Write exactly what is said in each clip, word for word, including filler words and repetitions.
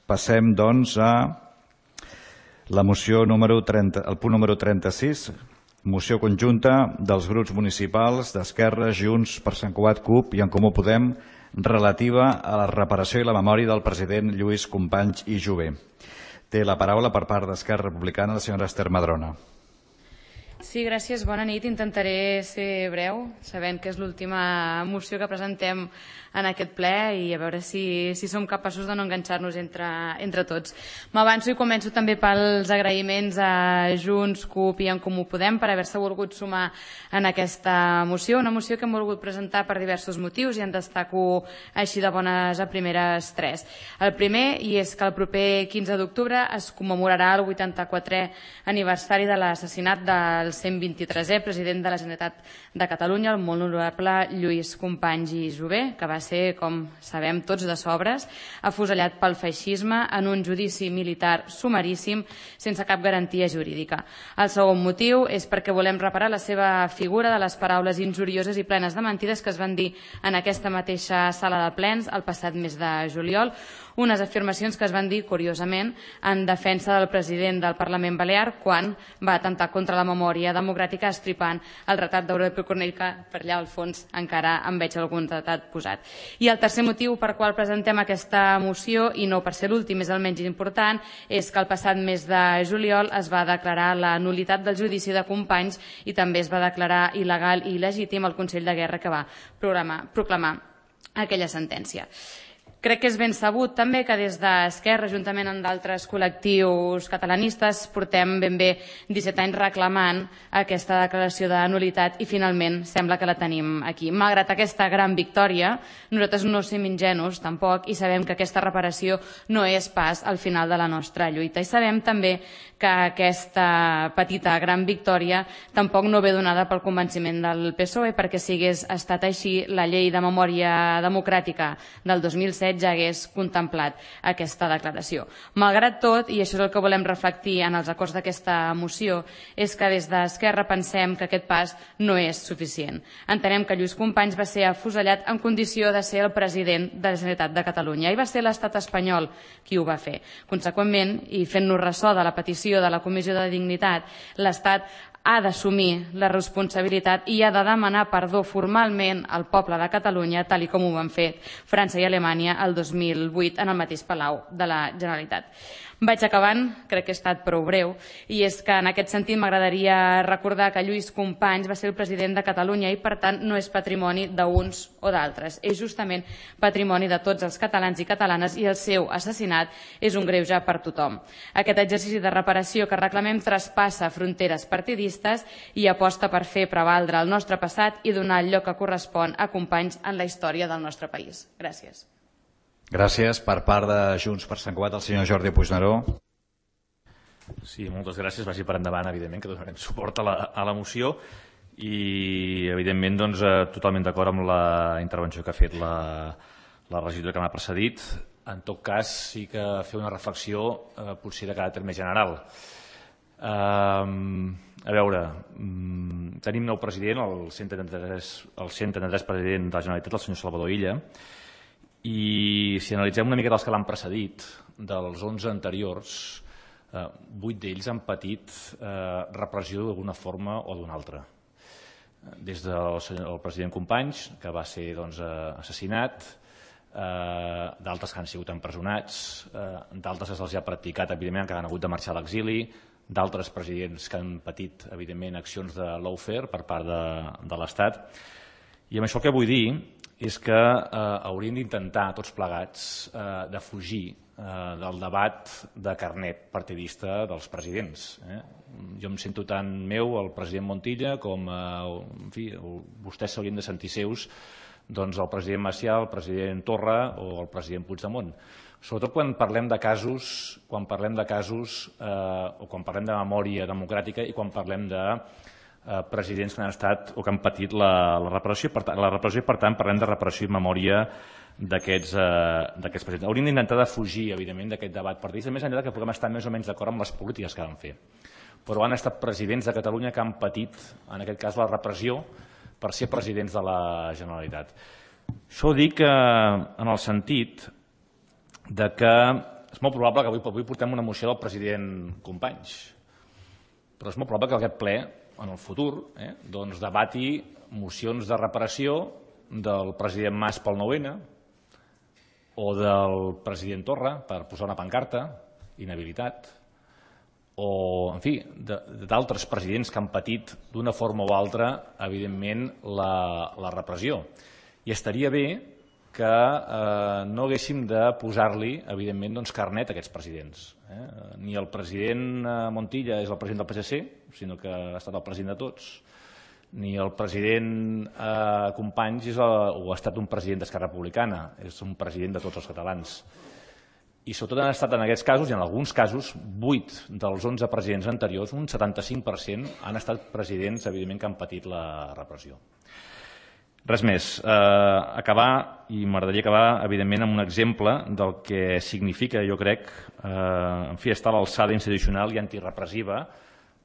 Passem, doncs, a la moció número trenta, el punt número trenta-sis, moció conjunta dels grups municipals d'Esquerra, Junts per Sant Cugat, CUP i En Comú Podem relativa a la reparació i la memòria del president Lluís Companys i Jové. Té la paraula per part d'Esquerra Republicana la senyora Esther Madrona. Sí, gràcies. Bona nit. Intentaré ser breu, sabent que és l'última moció que presentem en aquest ple i a veure si, si som capaços de no enganxar-nos entre, entre tots. M'avanço i començo també pels agraïments a Junts, CUP i En Comú Podem per haver-se volgut sumar en aquesta moció, una moció que hem volgut presentar per diversos motius i en destaco així de bones a primeres tres. El primer, i és que el proper quinze d'octubre es commemorarà el vuitanta-quatrè aniversari de l'assassinat del cent vint-i-tresè president de la Generalitat de Catalunya, el molt honorable Lluís Companys i Jové, que va ser, com sabem tots de sobres, afusellat pel feixisme en un judici militar sumaríssim sense cap garantia jurídica. El segon motiu és perquè volem reparar la seva figura de les paraules injurioses i plenes de mentides que es van dir en aquesta mateixa sala de plens el passat mes de juliol, unes afirmacions que es van dir, curiosament, en defensa del president del Parlament Balear quan va atemptar contra la memòria democràtica estripant el retrat d'Europa Cornell, que per allà al fons encara en veig algun retrat posat. I el tercer motiu per qual presentem aquesta moció, i no per ser l'últim, és el menys important, és que el passat mes de juliol es va declarar la nul·litat del judici de Companys i també es va declarar il·legal i il·legítim el Consell de Guerra que va proclamar, proclamar aquella sentència. Crec que és ben sabut també que des d'Esquerra, juntament amb d'altres col·lectius catalanistes, portem ben bé disset anys reclamant aquesta declaració de nul·litat i finalment sembla que la tenim aquí. Malgrat aquesta gran victòria, nosaltres no som ingenus tampoc i sabem que aquesta reparació no és pas al final de la nostra lluita. I sabem també que aquesta petita gran victòria tampoc no ve donada pel convenciment del P S O E, perquè si hagués estat així, la llei de memòria democràtica del dos mil set ja hagués contemplat aquesta declaració. Malgrat tot, i això és el que volem reflectir en els acords d'aquesta moció, és que des d'Esquerra pensem que aquest pas no és suficient. Entenem que Lluís Companys va ser afusellat en condició de ser el president de la Generalitat de Catalunya i va ser l'estat espanyol qui ho va fer. Conseqüentment, i fent-nos ressò de la petició de la Comissió de Dignitat, l'Estat ha d'assumir la responsabilitat i ha de demanar perdó formalment al poble de Catalunya, tal com ho van fer França i Alemanya el dos mil vuit en el mateix Palau de la Generalitat. Vaig acabant, crec que he estat prou breu, i és que en aquest sentit m'agradaria recordar que Lluís Companys va ser el president de Catalunya i per tant no és patrimoni d'uns o d'altres, és justament patrimoni de tots els catalans i catalanes i el seu assassinat és un greuge per tothom. Aquest exercici de reparació que reclamem traspassa fronteres partidistes i aposta per fer prevaldre el nostre passat i donar el lloc que correspon a Companys en la història del nostre país. Gràcies. Gràcies. Per part de Junts per Sant Cugat, el senyor Jordi Puigneró. Sí, moltes gràcies. Vagi per endavant, evidentment, que donarem suport a la, a la moció i, evidentment, doncs, totalment d'acord amb la intervenció que ha fet la, la regidora que m'ha precedit. En tot cas, sí que fer una reflexió eh, potser de caràcter més general. Eh, a veure, mm, tenim nou president, el cent trenta-tres, el cent trenta-tres president de la Generalitat, el senyor Salvador Illa, i si analitzem una mica dels que l'han precedit, dels onze anteriors, eh, vuit d'ells han patit eh, repressió d'alguna forma o d'una altra. Des del el president Companys, que va ser doncs, assassinat, eh, d'altres que han sigut empresonats, eh, d'altres que se'ls ha practicat, evidentment, que han hagut de marxar a l'exili, d'altres presidents que han patit, evidentment, accions de lawfare per part de, de l'Estat. I amb això el que vull dir és que eh, hauríem d'intentar tots plegats eh, de fugir eh, del debat de carnet partidista dels presidents. Eh? Jo em sento tant meu el president Montilla com eh, en fi, vostès s'haurien de sentir seus doncs, el president Macià, el president Torra o el president Puigdemont. Sobretot quan parlem de casos, quan parlem de casos eh, o quan parlem de memòria democràtica i quan parlem de Eh, presidents que han estat o que han patit la, la repressió. Per tant, la repressió, per tant, parlem de reparació i memòria d'aquests eh, presidents. Hauríem d'intentar de fugir, evidentment, d'aquest debat partidista, més enllà que puguem estar més o menys d'acord amb les polítiques que van fer. Però han estat presidents de Catalunya que han patit, en aquest cas, la repressió per ser presidents de la Generalitat. Això ho dic eh, en el sentit de que és molt probable que avui, avui portem una moció del president Companys, però és molt probable que aquest ple, en el futur, eh, doncs debati mocions de reparació del president Mas pel nou ene o del president Torra per posar una pancarta, inhabilitat, o, en fi, d'altres presidents que han patit d'una forma o altra, evidentment, la, la repressió. I estaria bé que eh, no haguéssim de posar-li, evidentment, doncs, carnet a aquests presidents. Eh? Ni el president Montilla és el president del P S C, sinó que ha estat el president de tots, ni el president eh, Companys és el, o ha estat un president d'Esquerra Republicana, és un president de tots els catalans. I sobretot han estat en aquests casos, i en alguns casos, vuit dels onze presidents anteriors, un setanta-cinc per cent, han estat presidents, evidentment, que han patit la repressió. Res més. Eh, acabar, i m'agradaria acabar, evidentment, amb un exemple del que significa, jo crec, eh, en fi, estar a l'alçada institucional i antirepressiva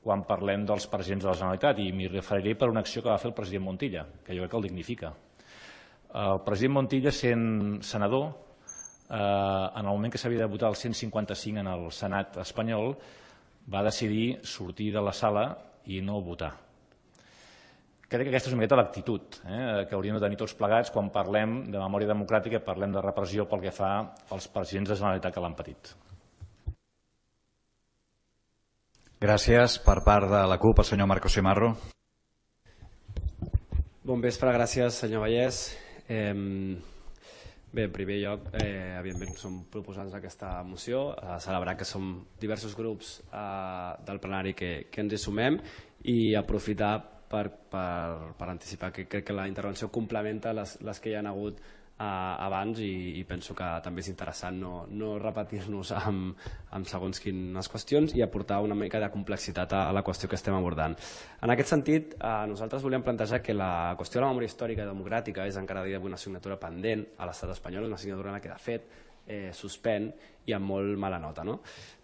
quan parlem dels presidents de la Generalitat, i m'hi referiré per una acció que va fer el president Montilla, que jo crec que el dignifica. El president Montilla, sent senador, eh, en el moment que s'havia de votar el cent cinquanta-cinc en el Senat espanyol, va decidir sortir de la sala i no votar. Crec que aquesta és una miqueta l'actitud eh, que hauríem de tenir tots plegats quan parlem de memòria democràtica i parlem de repressió pel que fa als presidents de la Generalitat que l'han patit. Gràcies. Per part de la CUP, el senyor Marcos Simarro. Bon vespre, gràcies, senyor Vallès. Eh, bé, en primer lloc, eh, evidentment som proposants d'aquesta moció, a celebrar que som diversos grups eh, del plenari que, que ens hi sumem i aprofitar Per, per, per anticipar que crec que la intervenció complementa les, les que hi ha hagut eh, abans i, i penso que també és interessant no, no repetir-nos amb, amb segons quines qüestions i aportar una mica de complexitat a, a la qüestió que estem abordant. En aquest sentit, eh, nosaltres volíem plantejar que la qüestió de la memòria històrica i democràtica és encara d'avui una assignatura pendent a l'estat espanyol, una assignatura en la que de fet eh, suspèn i amb molt mala nota. No?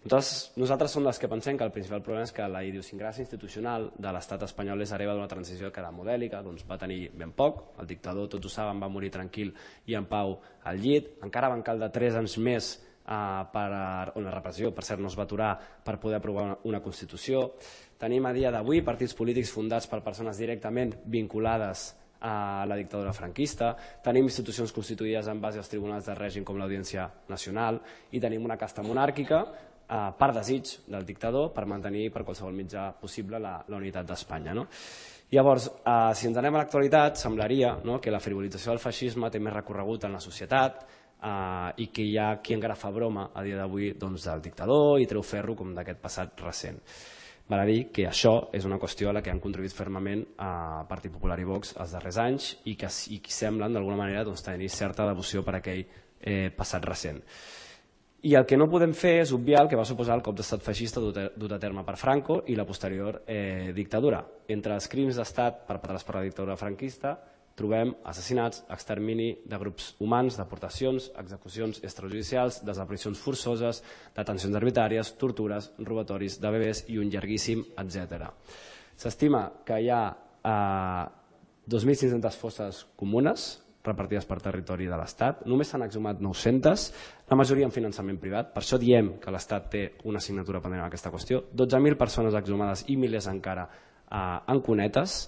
Nosaltres, nosaltres som les que pensem que el principal problema és que la idiosincràsia institucional de l'estat espanyol és hereva d'una transició que era modèlica, doncs va tenir ben poc, el dictador, tots ho saben, va morir tranquil i en pau al llit, encara van caldre tres anys més eh, per una repressió, per cert no es va aturar per poder aprovar una, una Constitució. Tenim a dia d'avui partits polítics fundats per persones directament vinculades a la dictadura franquista, tenim institucions constituïdes en base als tribunals de règim com l'Audiència Nacional i tenim una casta monàrquica eh, per desig del dictador per mantenir per qualsevol mitjà possible la, la unitat d'Espanya. No? Llavors, eh, si ens anem a l'actualitat, semblaria no, que la frivolització del feixisme té més recorregut en la societat eh, i que hi ha qui encara fa broma a dia d'avui doncs, del dictador i treu ferro com d'aquest passat recent. Val a dir que això és una qüestió a la que han contribuït fermament a Partit Popular i Vox els darrers anys i que, i que semblen d'alguna manera doncs, tenir certa devoció per aquell eh, passat recent. I el que no podem fer és obviar el que va suposar el cop d'estat feixista dut a terme per Franco i la posterior eh, dictadura. Entre els crims d'estat perpetrats per la dictadura franquista trobem assassinats, extermini de grups humans, deportacions, execucions extrajudicials, desaparicions forçoses, detencions arbitràries, tortures, robatoris de bebès i un llarguíssim etcètera. S'estima que hi ha eh, dos mil cinc-centes fosses comunes repartides per territori de l'Estat, només s'han exhumat nou-centes, la majoria en finançament privat, per això diem que l'Estat té una assignatura pendent en aquesta qüestió, dotze mil persones exhumades i milers encara eh, en cunetes.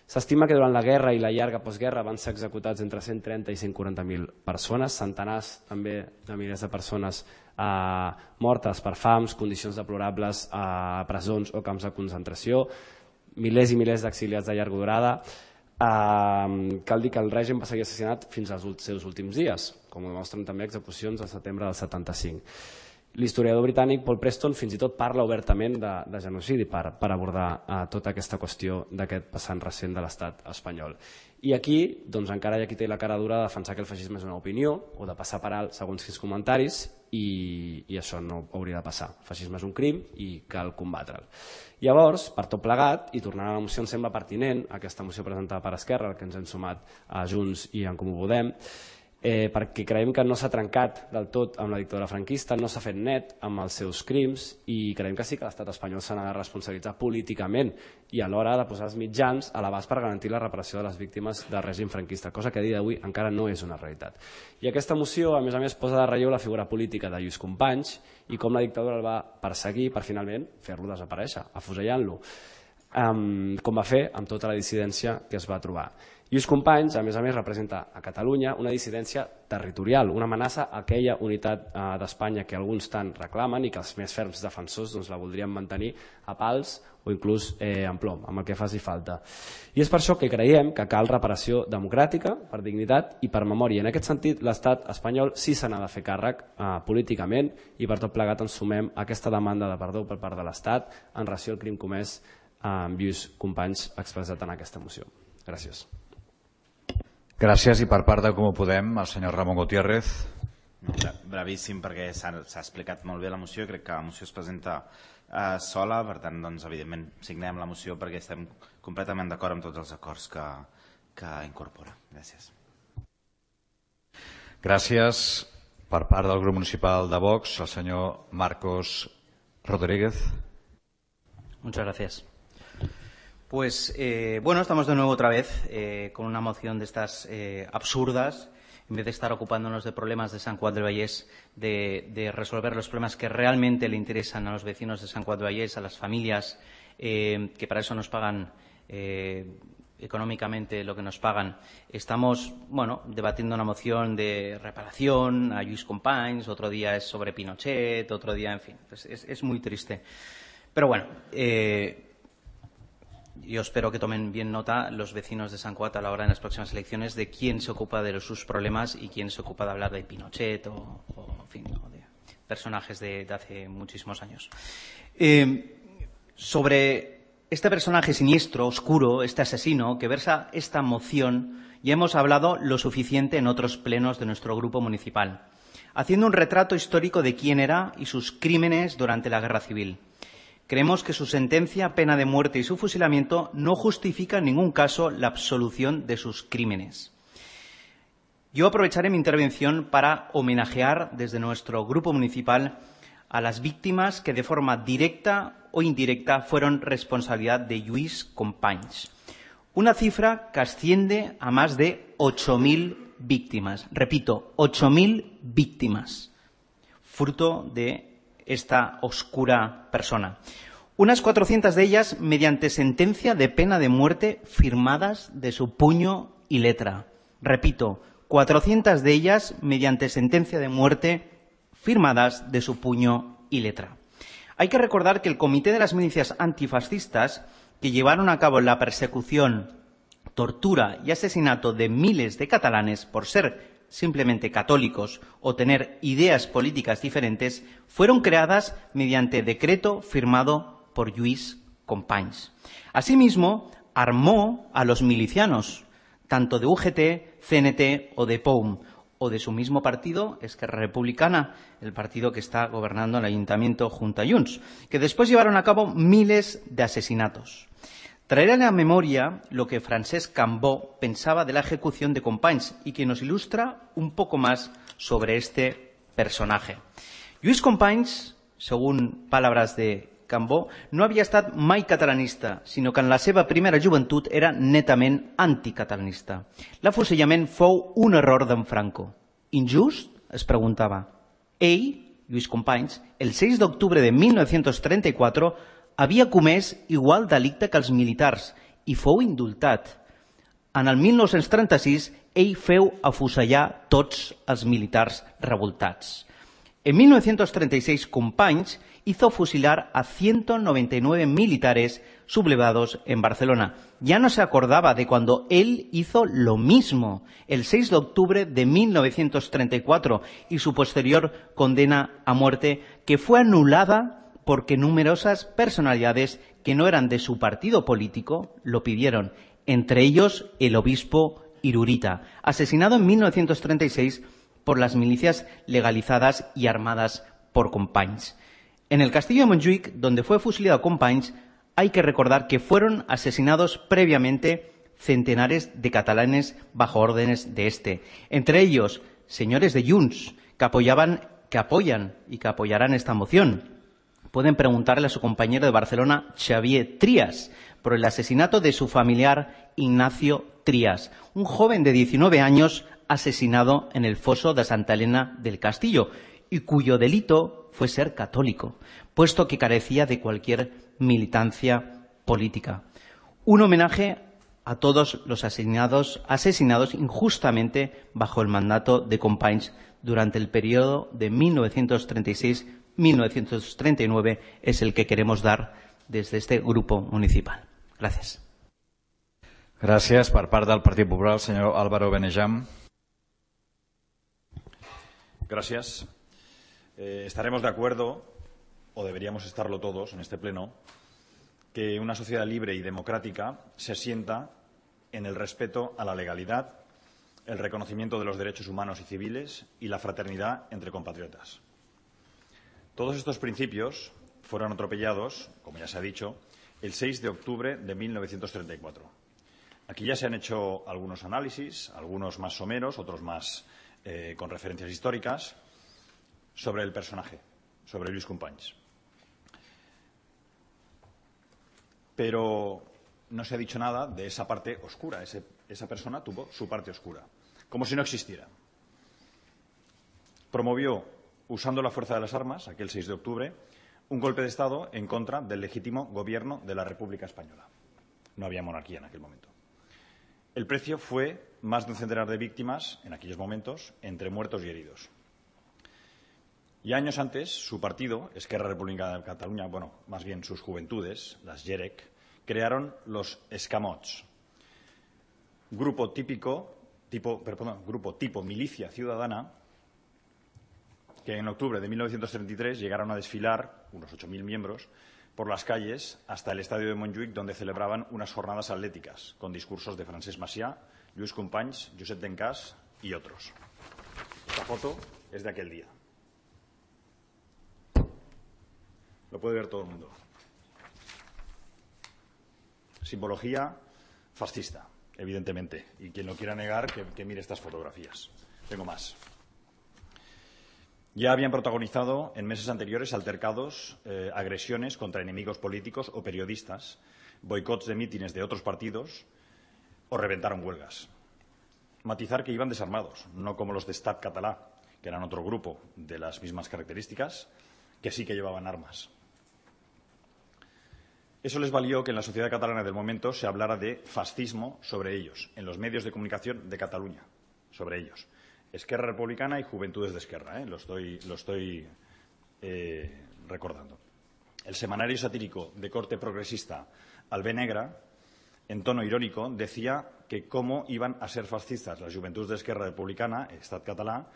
S'estima que durant la guerra i la llarga postguerra van ser executats entre cent trenta i cent quaranta mil persones, centenars també de milers de persones eh, mortes per fams, condicions deplorables a presons o camps de concentració, milers i milers d'exiliats de llarga durada. Eh, cal dir que el règim va seguir assassinat fins als seus últims dies, com ho demostren també execucions al setembre del setanta-cinc. L'historiador britànic Paul Preston fins i tot parla obertament de, de genocidi per, per abordar eh, tota aquesta qüestió d'aquest passant recent de l'estat espanyol. I aquí doncs, encara hi ha qui té la cara dura de defensar que el feixisme és una opinió o de passar per alt segons quins comentaris i, i això no hauria de passar. El feixisme és un crim i cal combatre'l. Llavors, per tot plegat, i tornant a la moció, em sembla pertinent aquesta moció presentada per Esquerra, que ens hem sumat a Junts i en Comú Podem, eh, perquè creiem que no s'ha trencat del tot amb la dictadura franquista, no s'ha fet net amb els seus crims i creiem que sí que l'estat espanyol se n'ha de responsabilitzar políticament i alhora ha de posar els mitjans a l'abast per garantir la reparació de les víctimes del règim franquista, cosa que a dia d'avui encara no és una realitat. I aquesta moció, a més a més, posa de relleu la figura política de Lluís Companys i com la dictadura el va perseguir per finalment fer-lo desaparèixer, afusellant-lo, um, com va fer amb tota la dissidència que es va trobar. Lluís Companys, a més a més, representa a Catalunya una dissidència territorial, una amenaça a aquella unitat eh, d'Espanya que alguns tant reclamen i que els més ferms defensors doncs, la voldrien mantenir a pals o inclús eh, en plom, amb el que faci falta. I és per això que creiem que cal reparació democràtica, per dignitat i per memòria. En aquest sentit, l'estat espanyol sí se n'ha de fer càrrec eh, políticament i per tot plegat ens sumem a aquesta demanda de perdó per part de l'estat en relació al crim comès eh, amb Lluís Companys expressat en aquesta moció. Gràcies. Gràcies, i per part de Com Ho Podem, el senyor Ramon Gutiérrez. Brevíssim, perquè s'ha explicat molt bé la moció, crec que la moció es presenta eh, sola, per tant, doncs, evidentment, signem la moció perquè estem completament d'acord amb tots els acords que, que incorpora. Gràcies. Gràcies. Per part del grup municipal de Vox, el senyor Marcos Rodríguez. Muchas gracias. Pues eh, bueno, estamos de nuevo otra vez eh, con una moción de estas eh, absurdas. En vez de estar ocupándonos de problemas de Sant Cugat del Vallès, de, de resolver los problemas que realmente le interesan a los vecinos de Sant Cugat del Vallès, a las familias eh, que para eso nos pagan eh, económicamente lo que nos pagan, estamos bueno, debatiendo una moción de reparación a Lluís Companys, otro día es sobre Pinochet, otro día, en fin, es, es, es muy triste. Pero bueno, eh, yo espero que tomen bien nota los vecinos de Sant Cugat a la hora de las próximas elecciones de quién se ocupa de sus problemas y quién se ocupa de hablar de Pinochet o, o, en fin, o de personajes de, de hace muchísimos años. Eh, sobre este personaje siniestro, oscuro, este asesino que versa esta moción, ya hemos hablado lo suficiente en otros plenos de nuestro grupo municipal, haciendo un retrato histórico de quién era y sus crímenes durante la Guerra Civil. Creemos que su sentencia, pena de muerte y su fusilamiento no justifica en ningún caso la absolución de sus crímenes. Yo aprovecharé mi intervención para homenajear desde nuestro grupo municipal a las víctimas que de forma directa o indirecta fueron responsabilidad de Lluís Companys. Una cifra que asciende a más de ocho mil víctimas. Repito, ocho mil víctimas, fruto de esta oscura persona. Unas cuatrocientas de ellas mediante sentencia de pena de muerte firmadas de su puño y letra. Repito, cuatrocientas de ellas mediante sentencia de muerte firmadas de su puño y letra. Hay que recordar que el Comité de las Milicias Antifascistas, que llevaron a cabo la persecución, tortura y asesinato de miles de catalanes por ser simplemente católicos o tener ideas políticas diferentes, fueron creadas mediante decreto firmado por Lluís Companys. Asimismo, armó a los milicianos, tanto de U G T, C N T o de P O U M, o de su mismo partido, Esquerra Republicana, el partido que está gobernando el Ayuntamiento junto a Junts, que después llevaron a cabo miles de asesinatos. Traeré a la memoria lo que Francesc Cambó pensaba de la ejecución de Companys y que nos ilustra un poco más sobre este personaje. Lluís Companys, según palabras de Cambó, no havia estat mai catalanista, sinó que en la seva primera joventut era netament anticatalanista. L'afusellament fou un error d'en Franco. Injust? Es preguntava. Ell, Lluís Companys, el seis d'octubre de mil nou-cents trenta-quatre, havia comès igual delicte que els militars i fou indultat. En el mil nou-cents trenta-sis, ell feu afusellar tots els militars revoltats. En mil novecientos treinta y seis, Companys hizo fusilar a ciento noventa y nueve militares sublevados en Barcelona. Ya no se acordaba de cuando él hizo lo mismo el seis de octubre de mil novecientos treinta y cuatro y su posterior condena a muerte, que fue anulada porque numerosas personalidades que no eran de su partido político lo pidieron, entre ellos el obispo Irurita, asesinado en mil novecientos treinta y seis por las milicias legalizadas y armadas por Companys. En el castillo de Montjuïc, donde fue fusilado Companys, hay que recordar que fueron asesinados previamente centenares de catalanes bajo órdenes de este, entre ellos señores de Junts que apoyaban, que apoyan y que apoyarán esta moción. Pueden preguntarle a su compañero de Barcelona, Xavier Trias, por el asesinato de su familiar Ignacio Trias, un joven de diecinueve años asesinado en el foso de Santa Elena del Castillo y cuyo delito fue ser católico, puesto que carecía de cualquier militancia política. Un homenaje a todos los asesinados, asesinados injustamente bajo el mandato de Companys durante el periodo de mil novecientos treinta y seis a mil novecientos treinta y nueve es el que queremos dar desde este grupo municipal. Gracias. Gràcies. Per part del Partit Popular, el senyor Álvaro Benejam. Gracias. Eh, estaremos de acuerdo, o deberíamos estarlo todos en este pleno, que una sociedad libre y democrática se sienta en el respeto a la legalidad, el reconocimiento de los derechos humanos y civiles y la fraternidad entre compatriotas. Todos estos principios fueron atropellados, como ya se ha dicho, el seis de octubre de mil novecientos treinta y cuatro. Aquí ya se han hecho algunos análisis, algunos más someros, otros más eh, con referencias históricas, sobre el personaje, sobre Lluís Companys. Pero no se ha dicho nada de esa parte oscura. Ese, esa persona tuvo su parte oscura, como si no existiera. Promovió, usando la fuerza de las armas, aquel seis de octubre, un golpe de Estado en contra del legítimo gobierno de la República Española. No había monarquía en aquel momento. El precio fue más de un centenar de víctimas, en aquellos momentos, entre muertos y heridos. Y años antes, su partido, Esquerra Republicana de Cataluña, bueno, más bien sus juventudes, las Jerec, crearon los Escamots, grupo típico, tipo, perdón, grupo tipo milicia ciudadana, que en octubre de mil novecientos treinta y tres llegaron a desfilar, unos ocho mil miembros, por las calles hasta el estadio de Montjuïc, donde celebraban unas jornadas atléticas, con discursos de Francesc Macià, Lluís Companys, Josep Dencàs y otros. Esta foto es de aquel día. Lo puede ver todo el mundo. Simbología fascista, evidentemente. Y quien lo quiera negar, que, que mire estas fotografías. Tengo más. Ya habían protagonizado en meses anteriores altercados, eh, agresiones contra enemigos políticos o periodistas, boicots de mítines de otros partidos o reventaron huelgas. Matizar que iban desarmados, no como los de Estat Català, que eran otro grupo de las mismas características, que sí que llevaban armas. Eso les valió que en la sociedad catalana del momento se hablara de fascismo sobre ellos, en los medios de comunicación de Cataluña, sobre ellos. Esquerra Republicana y Juventudes de Esquerra, ¿eh? lo estoy, lo estoy eh, recordando. El semanario satírico de corte progresista Albé Negra, en tono irónico, decía que cómo iban a ser fascistas las Juventudes de Esquerra Republicana, Estat Català,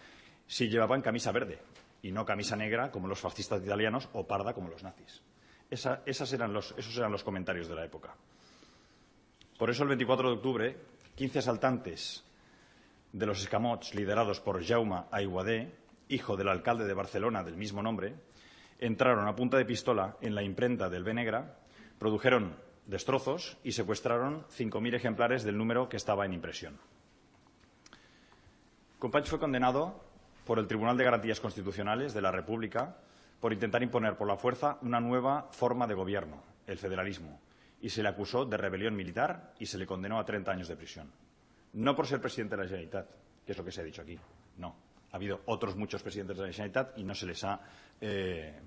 si llevaban camisa verde y no camisa negra como los fascistas italianos o parda como los nazis. Esa, esas eran los, esos eran los comentarios de la época. Por eso el veinticuatro de octubre, quince asaltantes de los Escamots, liderados por Jaume Aiguadé, hijo del alcalde de Barcelona del mismo nombre, entraron a punta de pistola en la imprenta del Albé Negra, produjeron destrozos y secuestraron cinco mil ejemplares del número que estaba en impresión. Companys fue condenado por el Tribunal de Garantías Constitucionales de la República por intentar imponer por la fuerza una nueva forma de gobierno, el federalismo, y se le acusó de rebelión militar y se le condenó a treinta años de prisión. No por ser presidente de la Generalitat, que es lo que se ha dicho aquí, no. Ha habido otros muchos presidentes de la Generalitat y no se les ha eh,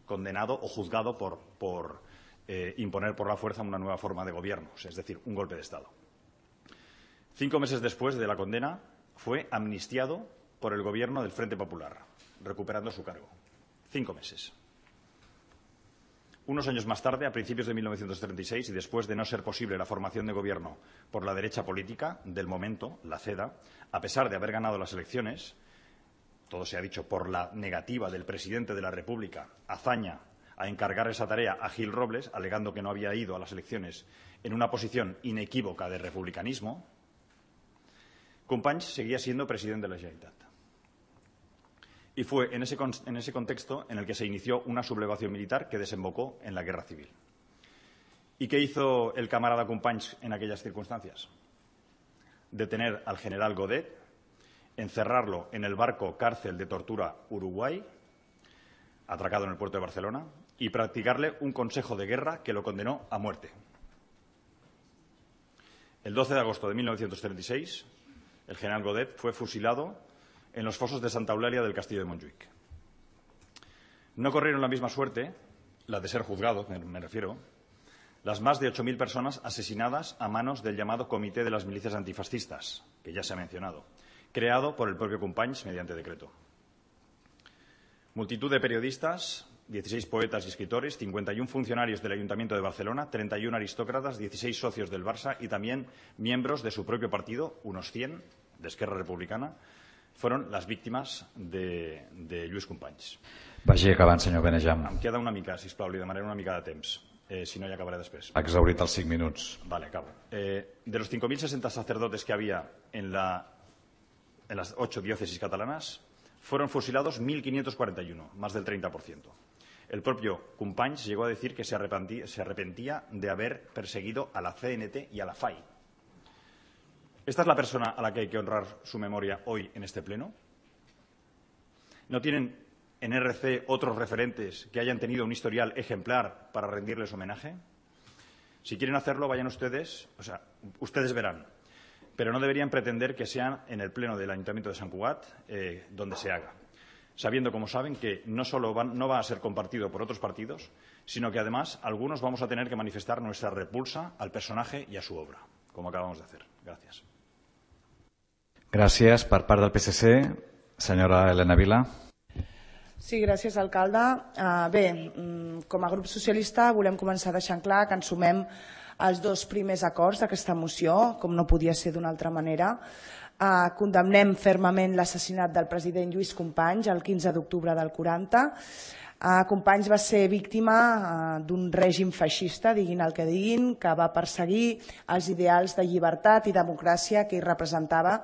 condenado o juzgado por, por eh, imponer por la fuerza una nueva forma de gobierno, es decir, un golpe de Estado. Cinco meses después de la condena, fue amnistiado por el gobierno del Frente Popular, recuperando su cargo. Cinco meses. Unos años más tarde, a principios de mil novecientos treinta y seis, y después de no ser posible la formación de gobierno por la derecha política del momento, la CEDA, a pesar de haber ganado las elecciones, todo se ha dicho por la negativa del presidente de la República, Azaña, a encargar esa tarea a Gil Robles, alegando que no había ido a las elecciones en una posición inequívoca de republicanismo, Companys seguía siendo presidente de la Generalitat. Y fue en ese, en ese contexto en el que se inició una sublevación militar que desembocó en la guerra civil. ¿Y qué hizo el camarada Companys en aquellas circunstancias? Detener al general Godet, encerrarlo en el barco cárcel de tortura Uruguay, atracado en el puerto de Barcelona, y practicarle un consejo de guerra que lo condenó a muerte. El doce de agosto de mil novecientos treinta y seis, el general Godet fue fusilado en los fosos de Santa Eulalia del Castillo de Montjuïc. No corrieron la misma suerte, la de ser juzgado, me refiero, las más de ocho mil personas asesinadas a manos del llamado Comité de las Milicias Antifascistas, que ya se ha mencionado, creado por el propio Companys mediante decreto. Multitud de periodistas, dieciséis poetas y escritores, cincuenta y un funcionarios del Ayuntamiento de Barcelona, treinta y un aristócratas, dieciséis socios del Barça y también miembros de su propio partido, unos cien, de Esquerra Republicana, fueron las víctimas de, de Lluís Companys. Vagi acabant, senyor Benejam. Em queda una mica, sisplau, li demanaré una mica de temps. Eh, si no, ya acabaré después. Ha exhaurit els cinc minuts. Vale, acabo. Eh, de los cinco mil sesenta sacerdotes que había en, la, en las ocho diócesis catalanas, fueron fusilados mil quinientos cuarenta y uno, más del treinta por ciento. El propio Companys llegó a decir que se arrepentía, se arrepentía de haber perseguido a la C N T y a la F A I. ¿Esta es la persona a la que hay que honrar su memoria hoy en este pleno? ¿No tienen en R C otros referentes que hayan tenido un historial ejemplar para rendirles homenaje? Si quieren hacerlo, vayan ustedes, o sea, ustedes verán, pero no deberían pretender que sean en el pleno del Ayuntamiento de Sant Cugat eh, donde se haga, sabiendo, como saben, que no solo van, no va a ser compartido por otros partidos, sino que además algunos vamos a tener que manifestar nuestra repulsa al personaje y a su obra, como acabamos de hacer. Gracias. Gràcies. Per part del P S C, senyora Elena Vila. Sí, gràcies, alcalde. Uh, bé, com a grup socialista volem començar deixant clar que ens sumem als dos primers acords d'aquesta moció, com no podia ser d'una altra manera. Uh, condemnem fermament l'assassinat del president Lluís Companys el quinze d'octubre del quaranta. Uh, Companys va ser víctima uh, d'un règim feixista, diguin el que diguin, que va perseguir els ideals de llibertat i democràcia que ell representava,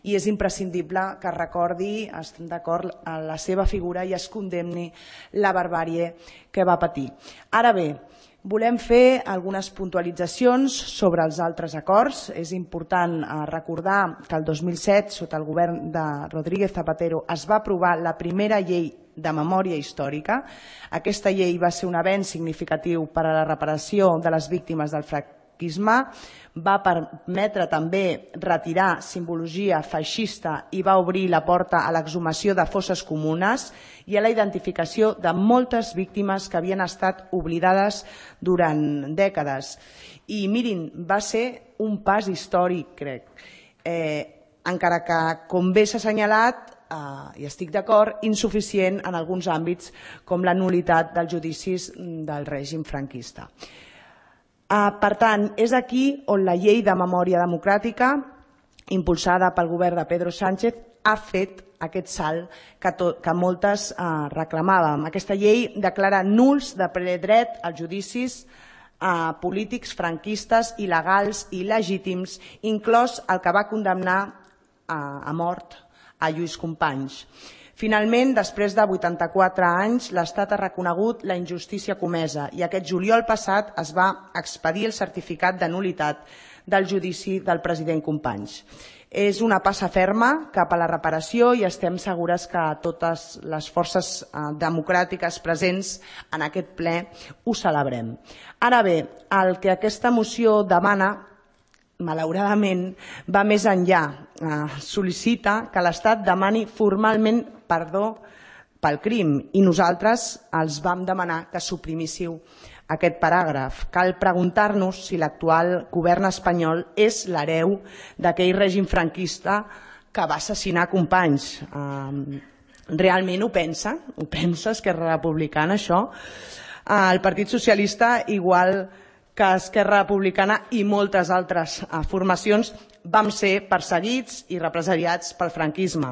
i és imprescindible que es recordi, estem d'acord, a la seva figura i es condemni la barbàrie que va patir. Ara bé, volem fer algunes puntualitzacions sobre els altres acords. És important recordar que el dos mil set, sota el govern de Rodríguez Zapatero, es va aprovar la primera llei de memòria històrica. Aquesta llei va ser un avenç significatiu per a la reparació de les víctimes del franquisme, va permetre també retirar simbologia feixista i va obrir la porta a l'exhumació de fosses comunes i a la identificació de moltes víctimes que havien estat oblidades durant dècades. I mirin, va ser un pas històric, crec. Eh, encara que, com bé s'ha assenyalat, Uh, i estic d'acord, insuficient en alguns àmbits com la nul·litat dels judicis del règim franquista. Uh, per tant, és aquí on la llei de memòria democràtica, impulsada pel govern de Pedro Sánchez, ha fet aquest salt que, tot, que moltes uh, reclamàvem. Aquesta llei declara nuls de ple dret als judicis uh, polítics franquistes, il·legals i il·legítims, inclòs el que va condemnar uh, a mort a Lluís Companys. Finalment, després de vuitanta-quatre anys, l'Estat ha reconegut la injustícia comesa i aquest juliol passat es va expedir el certificat de nul·litat del judici del president Companys. És una passa ferma cap a la reparació i estem segures que totes les forces democràtiques presents en aquest ple ho celebrem. Ara bé, el que aquesta moció demana, malauradament, va més enllà. Eh, sol·licita que l'Estat demani formalment perdó pel crim i nosaltres els vam demanar que suprimíssiu aquest paràgraf. Cal preguntar-nos si l'actual govern espanyol és l'hereu d'aquell règim franquista que va assassinar Companys. Eh, realment ho pensa? Ho pensa Esquerra Republicana, això? Eh, el Partit Socialista, igual que Esquerra Republicana i moltes altres formacions, vam ser perseguits i represaliats pel franquisme.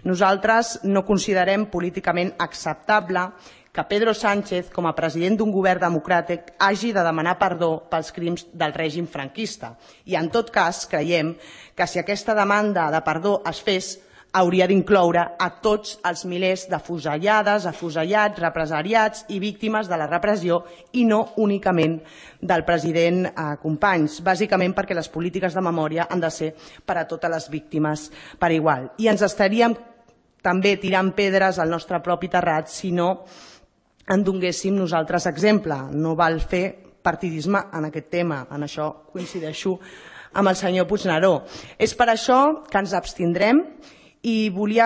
Nosaltres no considerem políticament acceptable que Pedro Sánchez, com a president d'un govern democràtic, hagi de demanar perdó pels crims del règim franquista. I en tot cas, creiem que si aquesta demanda de perdó es fes, hauria d'incloure a tots els milers d'afusellades, afusellats, represaliats i víctimes de la repressió i no únicament del president Companys, bàsicament perquè les polítiques de memòria han de ser per a totes les víctimes per igual. I ens estaríem també tirant pedres al nostre propi terrat si no en donéssim nosaltres exemple. No val fer partidisme en aquest tema, en això coincideixo amb el senyor Puigneró. És per això que ens abstindrem. I volia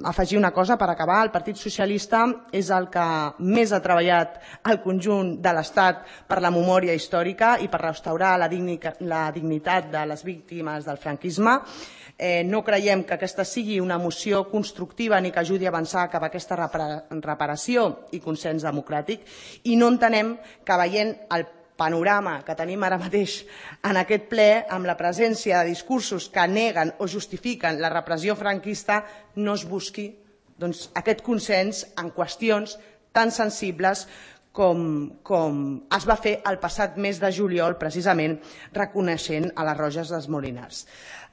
afegir una cosa per acabar. El Partit Socialista és el que més ha treballat al conjunt de l'Estat per la memòria històrica i per restaurar la dignitat de les víctimes del franquisme. No creiem que aquesta sigui una moció constructiva ni que ajudi a avançar cap a aquesta reparació i consens democràtic i no entenem que veient el panorama que tenim ara mateix en aquest ple, amb la presència de discursos que neguen o justifiquen la repressió franquista, no es busqui aquest consens en qüestions tan sensibles com es va fer el passat mes de juliol, precisament reconeixent a les Roges dels Molinars.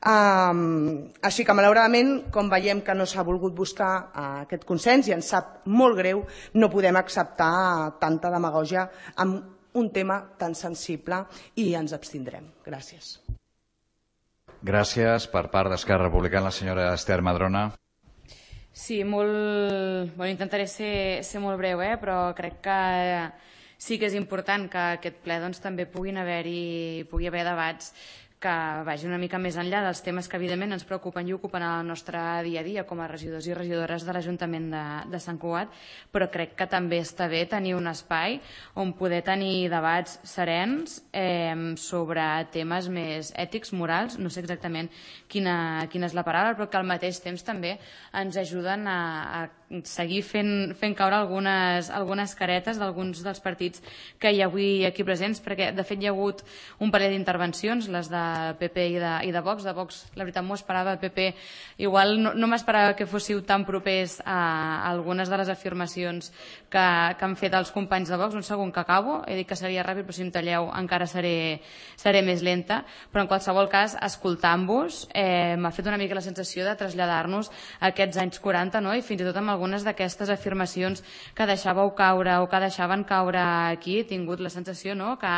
Així que, malauradament, com veiem que no s'ha volgut buscar aquest consens i ens sap molt greu, no podem acceptar tanta demagògia amb un tema tan sensible i ens abstindrem. Gràcies. Gràcies. Per part d'Esquerra Republicana, la senyora Esther Madrona. Sí, molt... Bueno, intentaré ser, ser molt breu, eh? Però crec que sí que és important que aquest ple doncs, també puguin haver-hi pugui haver debats que vagi una mica més enllà dels temes que evidentment ens preocupen i ocupen el nostre dia a dia com a regidors i regidores de l'Ajuntament de, de Sant Cugat, però crec que també està bé tenir un espai on poder tenir debats serens eh, sobre temes més ètics, morals, no sé exactament quina, quina és la paraula, però que al mateix temps també ens ajuden a, a seguir fent, fent caure algunes, algunes caretes d'alguns dels partits que hi ha avui aquí presents, perquè de fet hi ha hagut un parell d'intervencions, les de P P i de, i de Vox. De Vox, la veritat, m'ho esperava. P P, igual no, no m'esperava que fóssiu tan propers a, a algunes de les afirmacions que, que han fet els companys de Vox. Un segon que acabo, he dit que seria ràpid, però si em talleu encara seré, seré més lenta. Però en qualsevol cas, escoltant-vos, eh, m'ha fet una mica la sensació de traslladar-nos a aquests anys quaranta, no? I fins i tot amb algunes d'aquestes afirmacions que deixàveu caure o que deixaven caure aquí, he tingut la sensació, no?, que,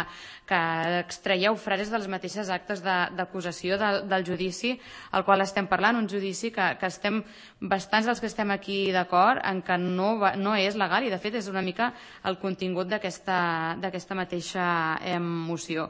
que extraieu frases de les mateixes actes d'acusació de, del judici al qual estem parlant, un judici que, que estem, bastants dels que estem aquí d'acord en que no, va, no és legal i de fet és una mica el contingut d'aquesta mateixa eh, moció.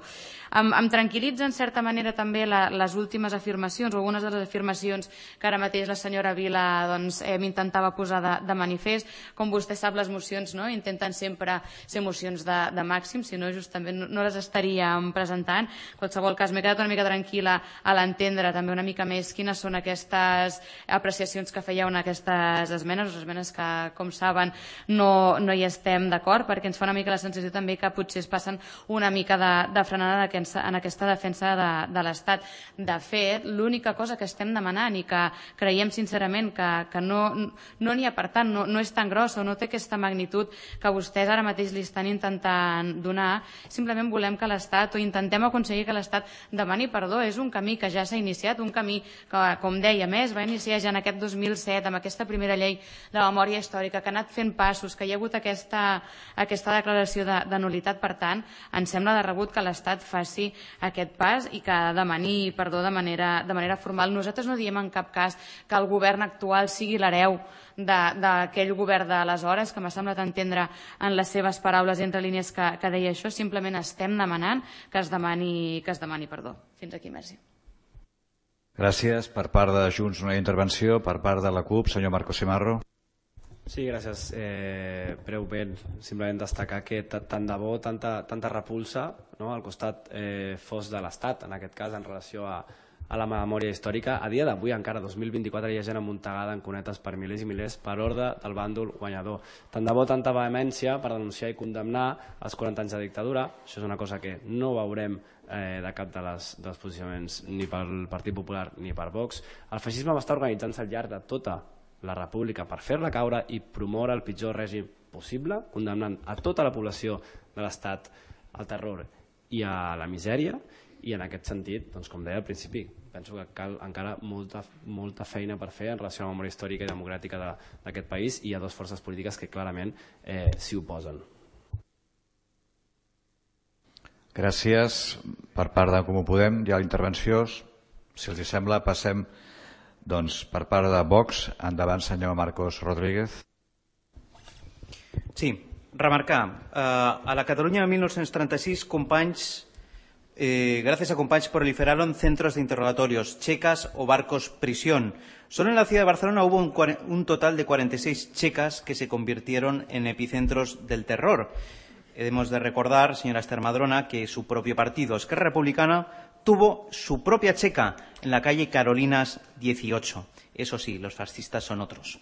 Em, em tranquil·litza en certa manera també la, les últimes afirmacions o algunes de les afirmacions que ara mateix la senyora Vila doncs, eh, m'intentava posar de, de manifest. Com vostè sap, les mocions no, intenten sempre ser mocions de, de màxim, si no justament no, no les estaríem presentant. En qualsevol cas, m'he quedat una mica tranquil·la a l'entendre també una mica més quines són aquestes apreciacions que fèieu en aquestes esmenes, les esmenes que, com saben, no, no hi estem d'acord, perquè ens fa una mica la sensació també que potser es passen una mica de, de frenada en aquesta defensa de, de l'Estat. De fet, l'única cosa que estem demanant i que creiem sincerament que, que no n'hi no ha per tant, no, no és tan grossa o no té aquesta magnitud que vostès ara mateix li estan intentant donar, simplement volem que l'Estat o intentem aconseguir que l'Estat demani perdó. És un camí que ja s'ha iniciat, un camí que, com deia, més va iniciar ja en aquest dos mil set amb aquesta primera llei de memòria històrica, que ha anat fent passos, que hi ha hagut aquesta, aquesta declaració de, de nulitat. Per tant, ens sembla de rebut que l'Estat faci aquest pas i que demani perdó de manera, de manera formal. Nosaltres no diem en cap cas que el govern actual sigui l'hereu d'aquell govern d'aleshores, que m'ha semblat entendre en les seves paraules entre línies que, que deia això. Simplement estem demanant que es demani, que es demani perdó. Fins aquí, merci. Gràcies. Per part de Junts, una intervenció. Per part de la CUP, senyor Marco Simarro. Sí, gràcies. Eh, breument, simplement destacar que tant de bo, tanta, tanta repulsa no, al costat eh, fos de l'Estat, en aquest cas, en relació a, a la memòria històrica. A dia d'avui, encara, dos mil vint-i-quatre, hi ha gent amuntegada en cunetes per milers i milers per ordre del bàndol guanyador. Tant de bo, tanta vehemència per denunciar i condemnar els quaranta anys de dictadura. Això és una cosa que no veurem eh, de cap de les, dels posicionaments ni pel Partit Popular ni per Vox. El feixisme va estar organitzant-se al llarg de tota la república per fer-la caure i promoure el pitjor règim possible, condemnant a tota la població de l'Estat al terror i a la misèria, i en aquest sentit, doncs, com deia al principi, penso que cal encara molta, molta feina per fer en relació a la memòria històrica i democràtica d'aquest país, i hi ha dues forces polítiques que clarament eh, s'hi oposen. Gràcies. Per part de Comú Podem hi ha intervenció. Si els sembla, passem doncs, per part de Vox. Endavant, senyor Marcos Rodríguez. Sí, remarcar, eh, a la Cataluña de mil novecientos treinta y seis, companys, eh, gracias a companys proliferaron centros de interrogatorios, checas o barcos prisión. Solo en la ciudad de Barcelona hubo un, un total de cuarenta y seis checas que se convirtieron en epicentros del terror. Hemos de recordar, señora Esther Madrona, que su propio partido, Esquerra Republicana, tuvo su propia checa en la calle Carolinas dieciocho. Eso sí, los fascistas son otros.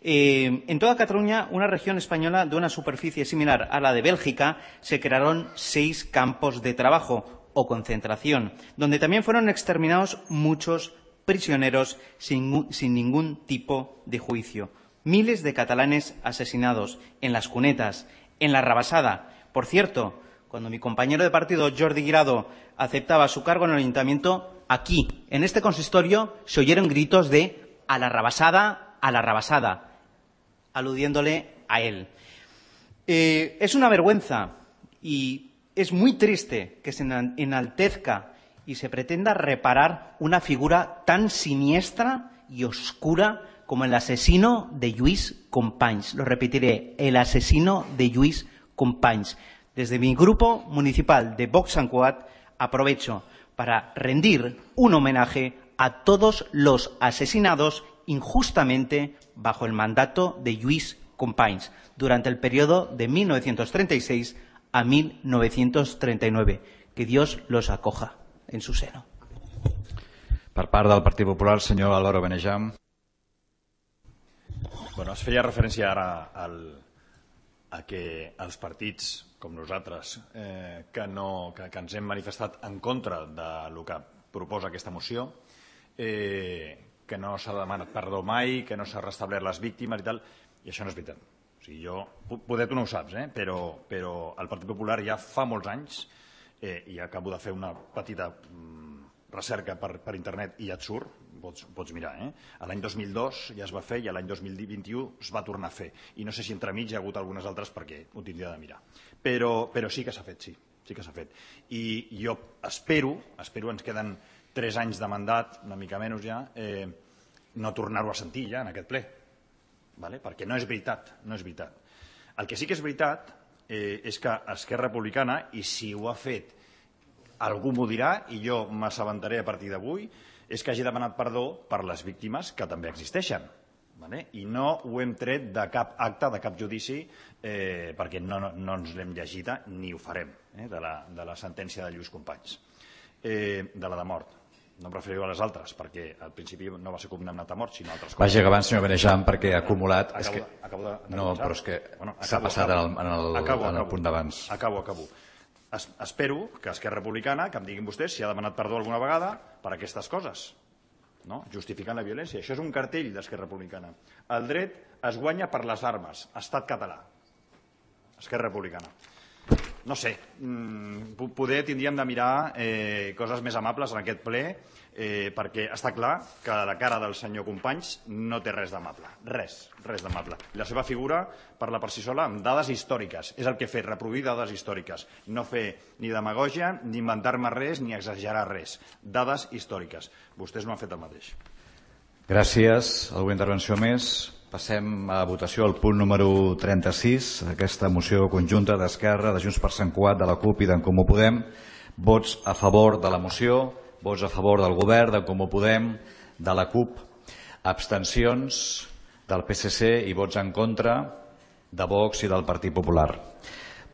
Eh, en toda Cataluña, una región española de una superficie similar a la de Bélgica, se crearon seis campos de trabajo o concentración, donde también fueron exterminados muchos prisioneros sin, sin ningún tipo de juicio. Miles de catalanes asesinados en las cunetas, en la Rabassada. Por cierto, cuando mi compañero de partido, Jordi Guirado, aceptaba su cargo en el ayuntamiento, aquí, en este consistorio, se oyeron gritos de «a la Rabassada, a la Rabassada», aludiéndole a él. Eh, es una vergüenza y es muy triste que se enaltezca y se pretenda reparar una figura tan siniestra y oscura como el asesino de Lluís Companys. Lo repetiré, el asesino de Lluís Companys. Desde mi grupo municipal de Vox Sant Cugat aprovecho para rendir un homenaje a todos los asesinados injustamente bajo el mandato de Lluís Companys durante el periodo de mil novecientos treinta y seis a mil novecientos treinta y nueve. Que Dios los acoja en su seno. Per part del Partit Popular, senyor Álvaro Benejam. Bueno, es feia referència ara al, a que els partits com nosaltres eh, que, no, que, que ens hem manifestat en contra del que proposa aquesta moció, eh, que no s'ha demanat perdó mai, que no s'ha restablert les víctimes i tal, i això no és veritat. O sigui, jo, poder tu no ho saps, eh? però, però el Partit Popular ja fa molts anys, eh, i acabo de fer una petita mm, recerca per, per internet i ja et surt, pots, pots mirar, eh? l'any dos mil dos ja es va fer i l'any dos mil vint-i-u es va tornar a fer. I no sé si entremig hi ha hagut algunes altres perquè ho tindria de mirar. Però, però sí que s'ha fet, sí, sí que s'ha fet. I jo espero, espero, ens queden tres anys de mandat, una mica menys ja, eh, no tornar-ho a sentir ja en aquest ple. Vale? Perquè no és veritat, no és veritat. El que sí que és veritat eh, és que Esquerra Republicana, i si ho ha fet algú m'ho dirà i jo m'assabentaré a partir d'avui, és que hagi demanat perdó per les víctimes que també existeixen. Vale? I no ho hem tret de cap acte, de cap judici, eh, perquè no, no, no ens l'hem llegida ni ho farem, eh, de, la, de la sentència de Lluís Companys, eh, de la de mort. No em referiré a les altres, perquè al principi no va ser condemnat a mort, sinó a altres coses. Vagi acabant, senyor Benejam, perquè ha acumulat... Acabo, és que... acabo de, de no, començar. però és que bueno, s'ha passat acabo, en el, en el, acabo, en el acabo, punt d'abans. Acabo, acabo. Es, espero que Esquerra Republicana, que em diguin vostès si ha demanat perdó alguna vegada per aquestes coses, no? Justificant la violència. Això és un cartell d'Esquerra Republicana. El dret es guanya per les armes. Estat català. Esquerra Republicana. No sé, poder tindríem de mirar eh, coses més amables en aquest ple, eh, perquè està clar que la cara del senyor Companys no té res d'amable. Res, res d'amable. La seva figura parla per si sola amb dades històriques. És el que he fet, reproduir dades històriques. No fer ni demagògia, ni inventar-me res, ni exagerar res. Dades històriques. Vostès no han fet el mateix. Gràcies. Alguna intervenció més? Passem a votació al punt número trenta-sis, aquesta moció conjunta d'Esquerra, de Junts per Sant Cugat, de la CUP i d'en Comú Podem. Vots a favor de la moció, vots a favor del govern, d'en Comú Podem, de la CUP, abstencions del P S C i vots en contra de Vox i del Partit Popular.